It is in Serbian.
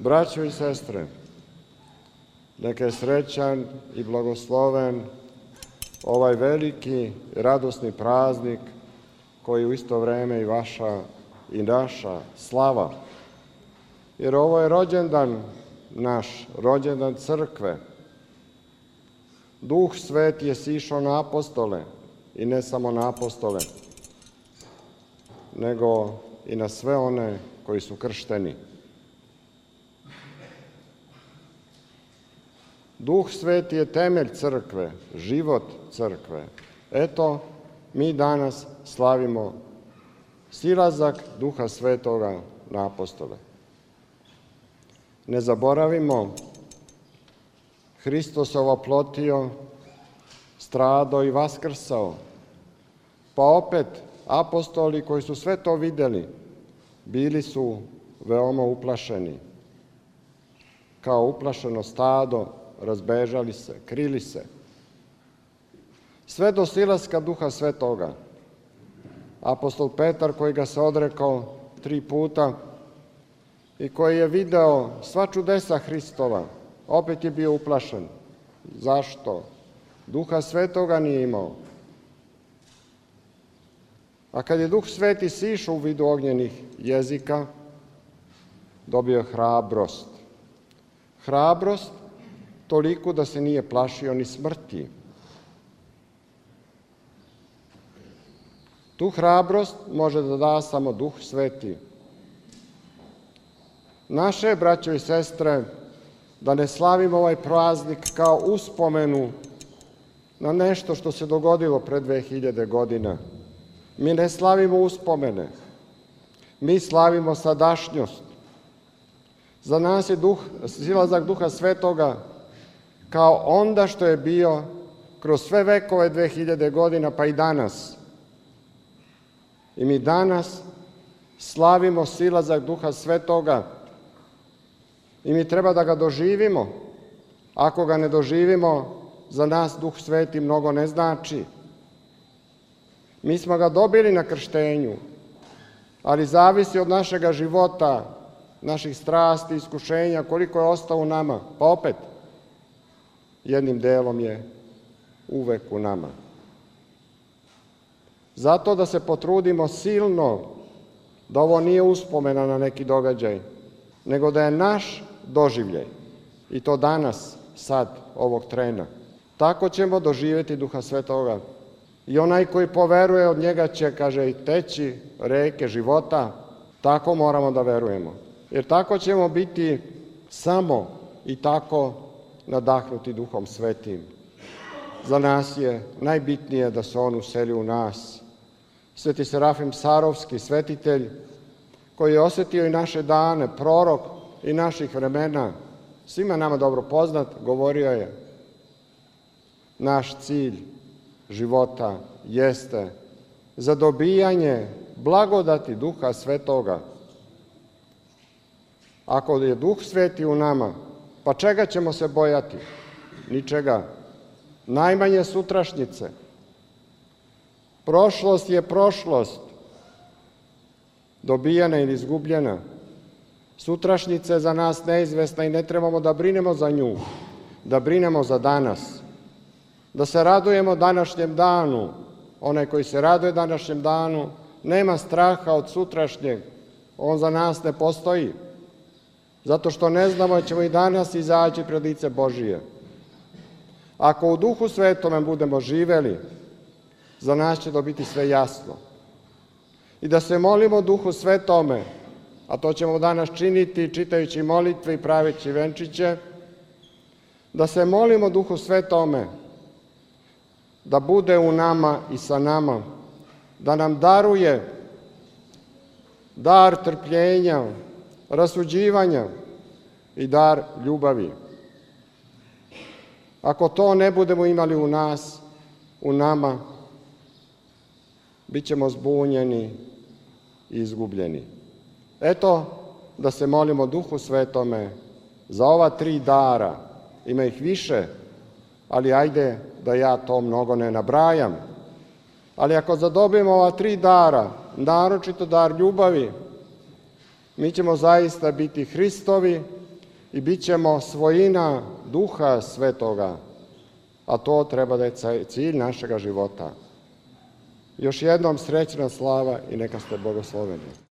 Braćo i sestre, neka je srećan i blagosloven ovaj veliki radosni praznik koji je u isto vreme i vaša i naša slava. Jer ovo je rođendan naš, rođendan crkve. Duh Sveti je sišao na apostole i ne samo na apostole, nego i na sve one koji su kršteni. Duh Sveti je temelj crkve, život crkve. Eto, mi danas slavimo silazak Duha Svetoga na apostole. Ne zaboravimo, Hristos se ovoplotio, stradao i vaskrsao. Pa opet, apostoli koji su sve to videli, bili su veoma uplašeni. Kao uplašeno stado, razbežali se, krili se. Sve do silaska Duha Svetoga. Apostol Petar, koji ga se odrekao 3 puta i koji je video sva čudesa Hristova, opet je bio uplašen. Zašto? Duha Svetoga nije imao. A kad je Duh Sveti sišao u vidu ognjenih jezika, dobio je hrabrost. Hrabrost toliko da se nije plašio ni smrti. Tu hrabrost može da da samo Duh Sveti. Naše, braćo i sestre, da ne slavimo ovaj praznik kao uspomenu na nešto što se dogodilo pre 2000 godina. Mi ne slavimo uspomene, mi slavimo sadašnjost. Za nas je silazak Duha Svetoga kao onda što je bio kroz sve vekove 2000 godina, pa i danas. I mi danas slavimo silazak Duha Svetoga i mi treba da ga doživimo. Ako ga ne doživimo, za nas Duh Sveti mnogo ne znači. Mi smo ga dobili na krštenju, ali zavisi od našega života, naših strasti, iskušenja, koliko je ostao u nama. Pa opet, jednim delom je uvek u nama. Zato da se potrudimo silno da ovo nije uspomena na neki događaj, nego da je naš doživljaj. I to danas, sad, ovog trena. Tako ćemo doživjeti Duha Svetoga. I onaj koji poveruje, od njega će, kaže, teći reke života. Tako moramo da verujemo. Jer tako ćemo biti samo i tako nadahnuti Duhom Svetim. Za nas je najbitnije da se on useli u nas. Sveti Serafim Sarovski, svetitelj, koji je osjetio i naše dane, prorok i naših vremena, svima nama dobro poznat, govorio je: naš cilj života jeste zadobijanje blagodati Duha Svetoga. Ako je Duh Sveti u nama, pa čega ćemo se bojati? Ničega. Najmanje sutrašnjice. Prošlost je prošlost, dobijena ili izgubljena. Sutrašnjica je za nas neizvesna i ne trebamo da brinemo za nju, da brinemo za danas. Da se radujemo današnjem danu. Onaj koji se raduje današnjem danu nema straha od sutrašnjeg. On za nas ne postoji. Zato što ne znamo da ćemo i danas izaći pred lice Božije. Ako u Duhu Svetome budemo živeli, za nas će to biti sve jasno. I da se molimo Duhu Svetome, a to ćemo danas činiti čitajući molitve i praveći venčiće, da se molimo Duhu Svetome da bude u nama i sa nama, da nam daruje dar trpljenja, rasuđivanja i dar ljubavi. Ako to ne budemo imali u nas, u nama, bit ćemo zbunjeni i izgubljeni. Eto, da se molimo Duhu Svetome za ova 3 dara. Ima ih više, ali ajde da ja to mnogo ne nabrajam. Ali ako zadobijemo ova 3 dara, naročito dar ljubavi, mi ćemo zaista biti Hristovi i bit ćemo svojina Duha Svetoga, a to treba da je cilj našega života. Još jednom srećna slava i neka ste blagosloveni.